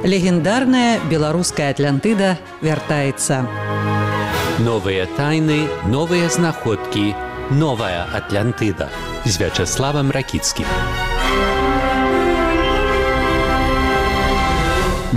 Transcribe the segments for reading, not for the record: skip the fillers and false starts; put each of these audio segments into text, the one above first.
Легендарная беларуская Атлантыда вяртаецца. Новыя тайны, новыя знаходкі, новая Атлантыда з Вячеславам Ракіцкім.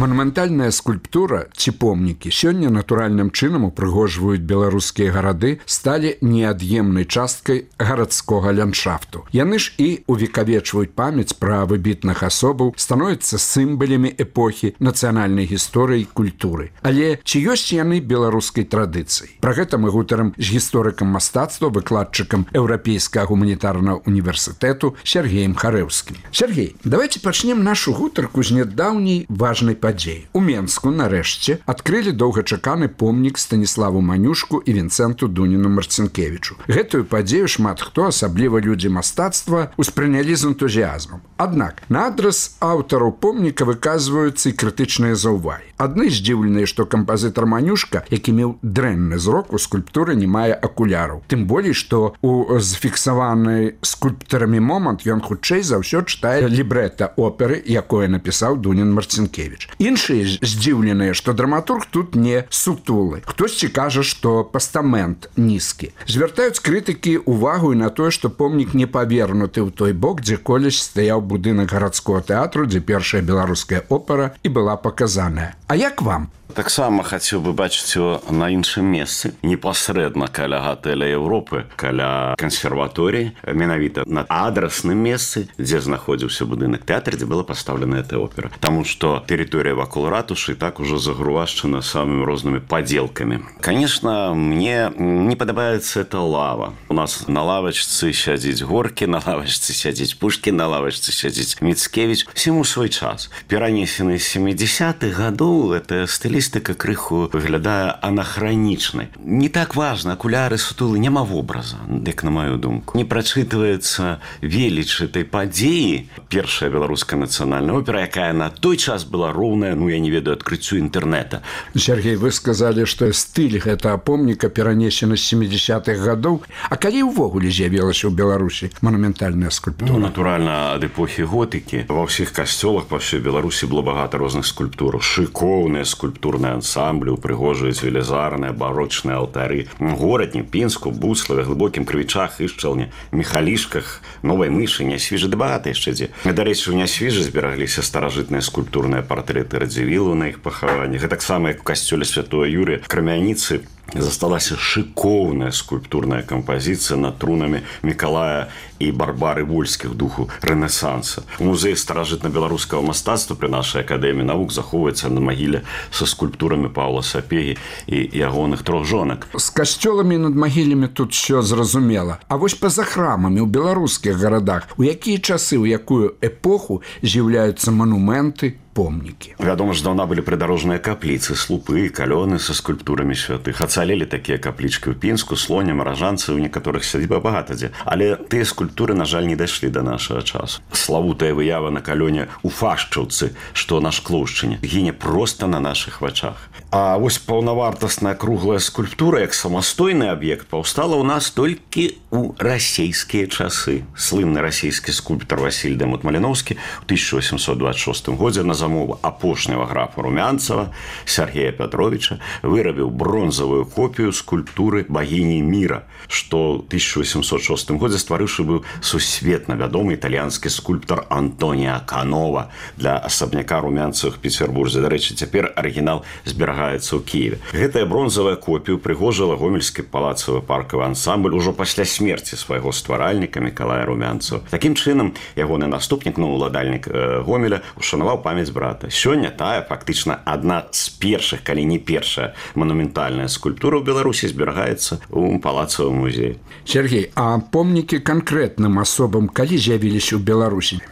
Манументальная скульптура ці помнікі сёння натуральным чынам упрыгожваюць беларускія гарады, сталі неад'емнай часткай гарадскога ландшафту. Яны ж і увекавечваюць памяць пра выбітных асобаў, становяцца сімвалямі эпохі нацыянальнай гісторыі і культуры. Але ці ёсць яны беларускай традыцыяй? Пра гэта мы гутарым з гісторыкам мастацтва, выкладчыкам Еўрапейскага гуманітарнага універсітэту Сергеем Харэўскім. Сергей, давайте пачнем нашу гутарку з нядаўняй важнай падзеі. У Менску, нарэшце, адкрылі доўгачаканы помнік Станіславу Манюшку і Вінцэнту Дуніну Марцінкевічу. Гэтую падзею шмат хто, асабліва людзі мастацтва, успрынялі з энтузіязмам. Аднак, на адрас аўтараў помніка выказваюцца і крытычныя заўвагі. Адны здзіўленыя, што кампазітар Манюшка, які меў дрэнны зрок, у скульптуры не мае акуляраў. Тым болей, што у зафіксаваны скульптарамі момант ён хутчэй за ўсё чытае лібрэта оперы, якое напісаў Дунін Марцінкевіч. Іншыя здзіўленыя, што драматург тут не сутулы. Хтосьці кажа, што пастамент нізкі. Звяртаюць крытыкі увагу і на тое, што помнік не павернуты ў той бок, дзе колісь стаяў будынак гарадскога тэатру, дзе першая беларуская опера і была паказаная. А як вам? Таксама хацеў бы бачыць его на іншым месцы, непасрэдна каля гатэля Европы, каля кансерваторыі, менавіта на адрасным месцы, дзе знаходзіўся будынак тэатра, дзе была пастаўлена эта опера. Таму што тэрыторыя вакол ратушы так ужо загрувашчана самымі рознымі падзелкамі. Конечно, мне не падабаецца эта лава. У нас на лавачцы сядзіць Горкі, на лавачцы сядзіць Пушкін, на лавачцы сядзіць Міцкевіч. Всему свой час. Перанесены з 70-х гадоў гэтая стылістыка крыху выглядае анахранічнай. Не так важна, акуляры, сутулы, няма вобраза, як на маю думку. Не прачытваецца веліч этой падзеі. Першая беларуская нацыянальная опера, якая на той час была роўная, я не ведаю, адкрыццю інтэрнэта. Сергей, вы сказалі, што стыль гэтага помніка перанесены з 70-х гадоў. А калі ўвогуле з'явілася ў Беларусі манументальная скульптура? Натуральна, ад эпохі готыкі. Ва ўсіх касцёлах па ўсёй Беларусі было багата розных скульптур. Шыкоўныя скульптурныя ансамблі, упрыгожваюць велізарныя барочныя алтары. Горадні, Пінску, Буславе, Глыбокім Крывічах, Ішчалне, Міхалішках, Новай Мышы, Нясвіжы, ды багата яшчэ дзе. Дарэчы, у Нясвіжы зберагліся старажытныя скульптурныя партрэты Радзівілу на іх пахаваннях. Гэтаксама, як у касцёле Святого Юрыя, Крамяніцы, засталася шыкоўная скульптурная кампазіцыя над трунамі Мікалая і Барбары Вольскіх, духу рэнесанса. У музеі старажытна-беларускага мастацтва пры нашай акадэміі навук захоўваецца на магіле са скульптурамі Паўла Сапегі і ягоных трох жонак. З касцёламі над магілямі тут все зразумела. А вось па-за храмамі ў беларускіх гарадах у якія часы, у якую эпоху з'яўляюцца манументы, помнікі? Вядома ж, даўна былі прыдарожныя капліцы, слупы, калёны са скульптурамі святых. Ацалелі такія каплічкі ў Пінску, Слоне, Маражанцы, у некаторых сядзіба багата дзе. Але тыя скульптуры, на жаль, не дайшлі да нашага часу. Славутая выява на калёне у Фашчаўцы, што на Шклоўшчыне, гіне проста на нашых вачах. А вось паўнавартасная круглая скульптура, як самастойны аб'ект, паўстала ў нас толькі ў расейскія часы. Слынны расійскі скульптар Васіль Дэмут Маліноўскі ў 1826 годзе на замову апошняга графа Румянцева Сергея Пятровича вырабіў бронзавую копію скульптуры багіні міра, што ў 1806 годзе стварыўшы быў сусветна вядомы італьянскі скульптар Антоніа Канова для асабняка Румянцевых Петербурзе. Дарэчы, цяпер арыгінал зберагаецца ў Киеве. Гэтая бронзавая копію прыгожыла гомельскі палацавы паркавы ансамбль ужо пасля смерці свайго стваральніка Мікалая Румянцева. Такім чынам, ягоны наступнік, уладальнік Гомеля, ушанаваў памяць брата. Сёння тая фактычна адна з першых, калі не першая манументальная скульптура ў Беларусі зберагаецца ў палацавым музеі. Сергей, а помнікі канкрэтным асобам калі з'явіліся ў Беларусі?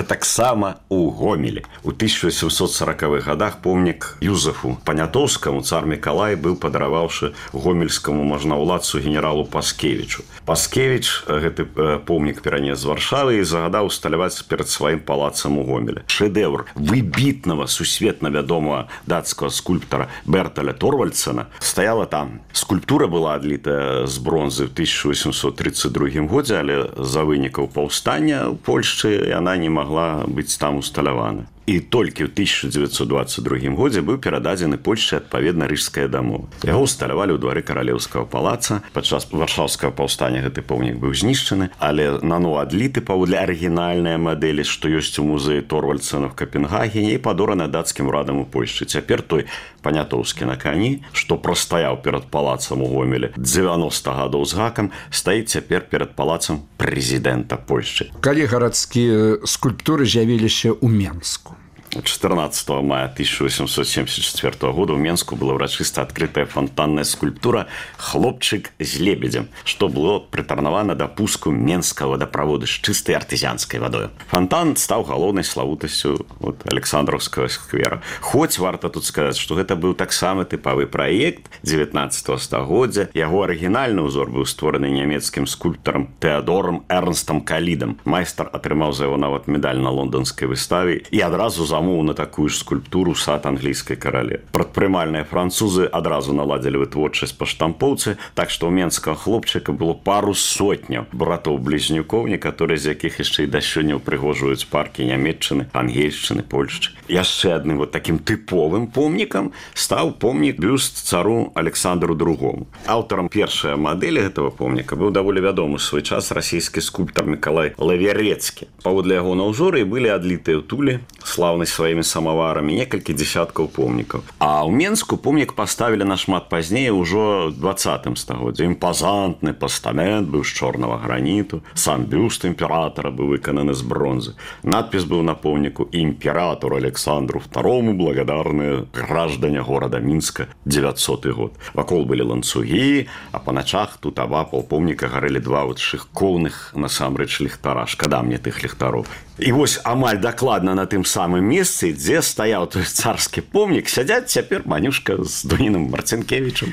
Таксама у Гомелі. У 1840-х гадах помнік Юзефу Панятоўскаму цар Мікалай быў падараваўшы гомельскаму можнаўладцу генералу Паскевічу. Паскевіч гэты помнік перанес з Варшавы і загадаў усталяваць перад сваім палацам у Гомелі. Шэдэўр выбітнага сусветна вядомага дацкага скульптара Берталя Торвальдсена стаяла там. Скульптура была адлітая з бронзы ў 1832 годзе, але з-за вынікаў паўстання ў Польшчы яна не магла быць там усталявана. і толькі ў 1922 годзе быў перададзены Польшчы адпаведна рыжская дамова. Яго усталявалі ў двары каралеўскага палаца. Падчас варшаўскага паўстання гэты помнік быў знішчаны, але нано адліты паводле арыгінальнай мадэлі, што ёсць у музеі Торвальдсена в Капенгагене і падораны дацкім урадам у Польшчы. Цяпер той Панятоўскі на кані, што прастаяў перад палацам у Гомелі 90 гадоў з гакам, стаіць цяпер перад палацам прэзідэнта Польшчы. Калі гарадскія скульптуры з'явіліся ў Менску? 14 мая 1874 года в Менску была урачыста адкрытая фонтанная скульптура «Хлопчык з лебедзем», што было прытарнавана да пуску менскага вадаправода з чыстай артызіанскай вадою. Фонтан стаў галоўнай славутасцю Александраўскага сквера. Хоць варта тут сказаць, што гэта быў таксама тыпавы праект 19 стагоддзя. Яго арыгінальны ўзор быў створаны нямецкім скульптарам Тэадорам Эрнстам Калідам. Майстар атрымаў за яго нават медаль на лонданскай выставе і адразу на такую ж скульптуру сад англійскай карале. Прадпрымальныя французы адразу наладзілі вытворчасць па штампоўцы, так што ў менскага хлопчыка было пару сотняў братоў-блізнюкоў, некаторыя з якіх яшчэ і да сёння ўпрыгожваюць паркі Нямецчыны, Ангельшчыны, Польшчы. Яшчэ адным такім тыповым помнікам стаў помнік бюст цару Александру II. Аўтарам першай мадэлі гэтага помніка быў даволі вядомы ў свой час расійскі скульптар Мікалай Лавярэцкі. Паводле яго на ўзоры былі адлітыя ў Туле, слаўны сваімі самаварамі, некалькі дзесяткаў помнікаў. А ў Менску помнік паставілі нашмат пазней, ужо 20 стагоддзе. Імпазантны пастамент быў з чорнага граніту, сам бюст імператара быў выкананы з бронзы. Надпіс быў на помніку «Імператору Александру II благодарные граждане города Мінска 900 год». Вакол былі ланцугі, а па начах тут абапал помніка гарэлі два шыкоўных насамрэч ліхтара. Шкада мне тых ліхтароў. І вось амаль дакладна на тым самым месцы, дзе стаяў той царскі помнік, сядзяць цяпер Манюшка з Дуніным Марцінкевічам.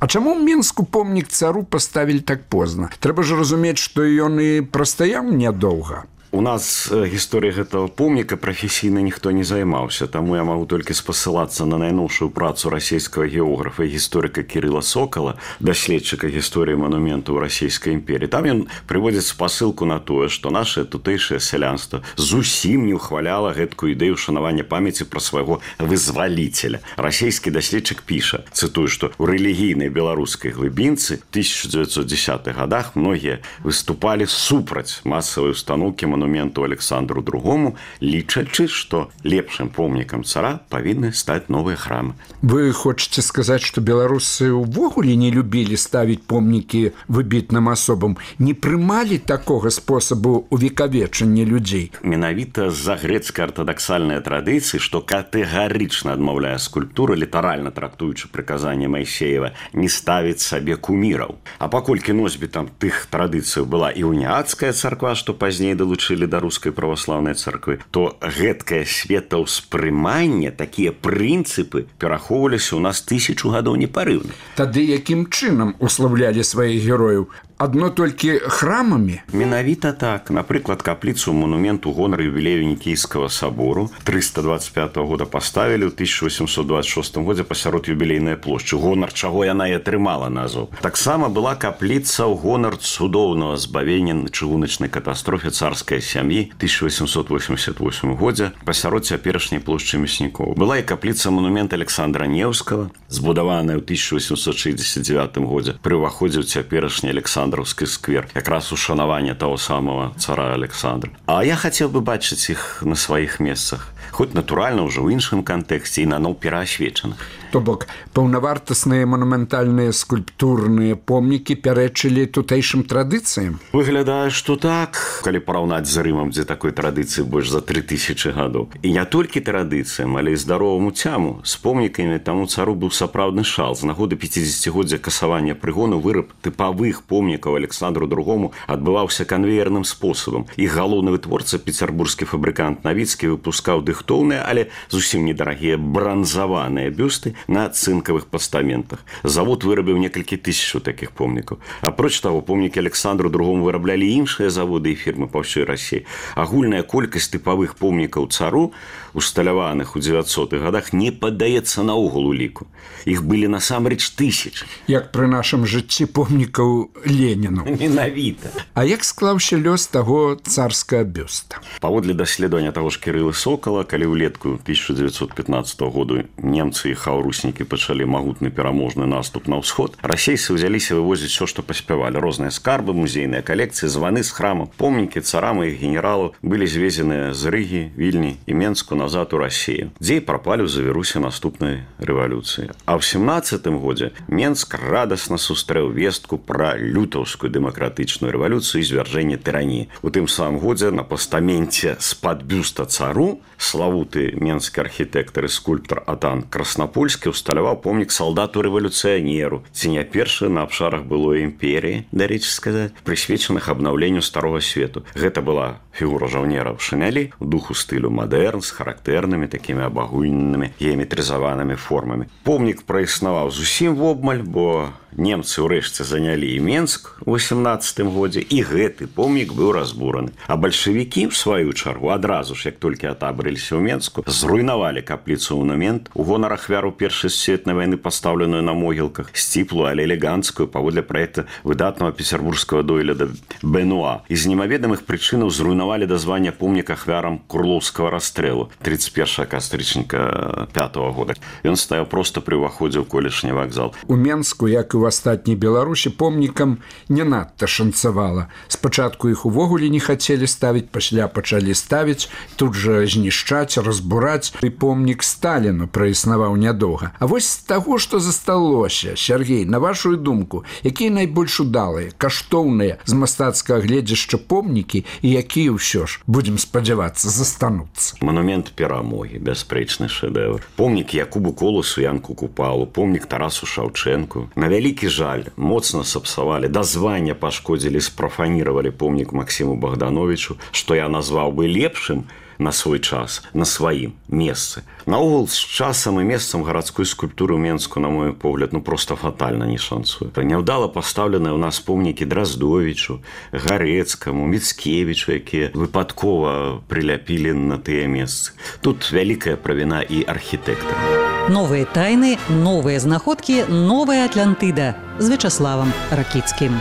А чаму ў Менску помнік цару паставілі так позна? Трэба ж разумець, што ён і прастаяў нядоўга. У нас гісторыя гэтага помніка прафесійна ніхто не займаўся, таму я магу толькі спасылацца на найноўшую працу расійскага географа і гісторыка Кірыла Сокала, даследчыка гісторыі манументаў расійскай імперіі. Там ён прыводзіць спасылку на тое, што наше тутэйшае сялянства зусім не ўхваляла гэткую ідэю шанавання памяці пра свайго вызваліцеля. Расійскі даследчык піша, цытую, што ў рэлігійнай беларускай глыбінцы 1910-х годах многія выступалі супраць масавай устаноўкі монументу Александру II, лічачы, што лепшым помнікам цара павінны стаць новыя храмы. Вы хочаце сказаць, што беларусы ўвогуле не любілі ставіць помнікі выбітным асобам, не прымалі такога спосабу увекавечання людзей? Менавіта з-за грэцкай артадаксальнай традыцыі, што катэгарычна адмаўляе скульптуры, літаральна трактуючы прыказанне Майсеева, не ставіць сабе куміраў. А паколькі носьбітам тых традыцыяў была і уніацкая царква, што пазней далучылі да рускай праваслаўнай царквы, то гэткае светаўспрыманне, такія прынцыпы перахоўваліся ў нас 1000 гадоў непарыўна. Тады якім чынам уславлялі сваіх герояў? Адно толькі храмамі? Менавіта так. Напрыклад, капліцу монумент у гонар юбілею Нікейскага сабору 325 года паставілі ў 1826 годзе пасярод юбілейнай плошчы. Гонар чаго яна і атрымала назву. Таксама была капліца ў гонар цудоўнага збавення на чыгуначнай катастрофе царскай сям'і 1888 годзе пасярод цяперашняй плошчы Мяснікоў. Была і капліца монумент Александра Неўскага, збудаваная ў 1869 годзе пры ўваходзе ў цяперашні Александраўскі сквер, якраз ушанаванне таго самого цара Александра. А я хацеў бы бачыць іх на сваіх месцах, хоць натуральна ўжо ў іншым кантэксце і наноў пераасвечаных. То бок, паўнавартасныя манументальныя скульптурныя помнікі пярэчылі тутэйшым традыцыям? Выглядае, што так, калі параўнаць з Рымам, дзе такой традыцыі больш за 3000 гадоў. І не толькі традыцыям, але і здароваму цяму. З помнікамі таму цару быў сапраўдны шал. З нагоды 50-годдзя касавання прыгону выраб тыпавых помнікаў Александру II адбываўся канвеерным спосабам. Іх галоўны вытворца, пецярбурскі фабрыкант Навіцкі, выпускаў дыхтоўныя, але зусім недарагія бранзаваныя бюсты на цынкавых пастаментах. Завод вырабіў некалькі тысяч такіх помнікаў. Апроч таго, помнікі Александру II выраблялі іншыя заводы і фірмы па ўсёй Расіі. Агульная колькасць тыпавых помнікаў цару, усталяваных у 900-х годах, не паддаецца наогул уліку. Іх былі насамрэч 1000. Як пры нашым жыцці помнікаў Леніну. Менавіта. А як склаўся лёс таго царскага бюста? Паводле даследавання таго ж Кірылы Сокала, калі ўлетку 1915 году немцы і хаўруснікі пачалі магутны пераможны наступ на ўсход, расейцы ўзяліся вывозіць все, што паспявалі. Розныя скарбы, музейныя калекцыі, званы з храма, помнікі царам і іх генералаў былі звезеныя з Рыгі, Вільні і Менску назад у Расію, дзе і прапалі ў завірусе наступнай рэвалюцыі. А ў 17-м годзе Менск радасна сустрэў вестку пра лютаўскую дэмакратычную рэвалюцыю і звяржэнне тыраніі. У тым самым годзе на пастаменце з-пад бюста цару славуты менскі архітэктар і скульптар Атан Краснапольскі ўсталяваў помнік салдату-рэвалюцыянеру, ці не першы на абшарах былой імперіі, дарэчы сказаць, прысвечаных абнаўленню старога свету. Гэта была фігура жаўнера ў шынялі, у духу стылю мадэрн, з характэрнымі такімі абагульненымі геаметрызаванымі формамі. Помнік праіснаваў зусім вобмаль, бо немцы ўрэшце занялі і Менск у 18-м годзе, і гэты помнік быў разбураны. А бальшавікі, в сваю чаргу, адразу ж, як толькі атабрыліся ў Менску, зруйнавалі капліцу монумент у гонар ахвяру Першай сусветнай вайны, пастаўленую на могілках, сціплую, але элеганцкую, паводле праекта выдатнага пецярбургскага дойліда Бенуа. І з немаведамых прычынаў зруйнавалі дазвання помніка ахвярам Курлоўскага расстрэлу 31 кастрычніка 5-го года. Ён стаяў проста пры ўваходзе ў колішні вакзал. У Менску, як і ў астатняй Беларусі, помнікам не надта шанцавала. Спачатку іх увогуле не хацелі ставіць, пасля пачалі ставіць, тут жа знішчаць, разбураць. І помнік Сталіну праіснаваў нядоўга. А вось з таго, што засталося, Сергей, на вашу думку, якія найбольш удалыя, каштоўныя з мастацкага гледзяшча помнікі і якія ўсё ж, будзем спадзявацца, застануцца? Монумент перамогі, бясспрэчны шэдэвр. Помнік Якубу Коласу, Янку Купалу, помнік Тарасу Шаўчэнку. На вялікі жаль, моцна сапсавалі, дазвання пашкодзілі, спрафаніравалі помнік Максіму Богдановичу, што я назваў бы лепшым на свой час, на сваім месцы. Наогул, з часам і месцам гарадской скульптуры ў Менску, на мой погляд, просто фатальна не шанцуе. Няўдала пастаўленыя ў нас помнікі Драздовічу, Гарэцкаму, Міцкевічу, якія выпадкова прыляпілі на тыя месцы. Тут вялікая правіна і архітэктара. Новыя тайны, новыя знаходкі, новая Атлантыда з Вячаславам Ракіцкім.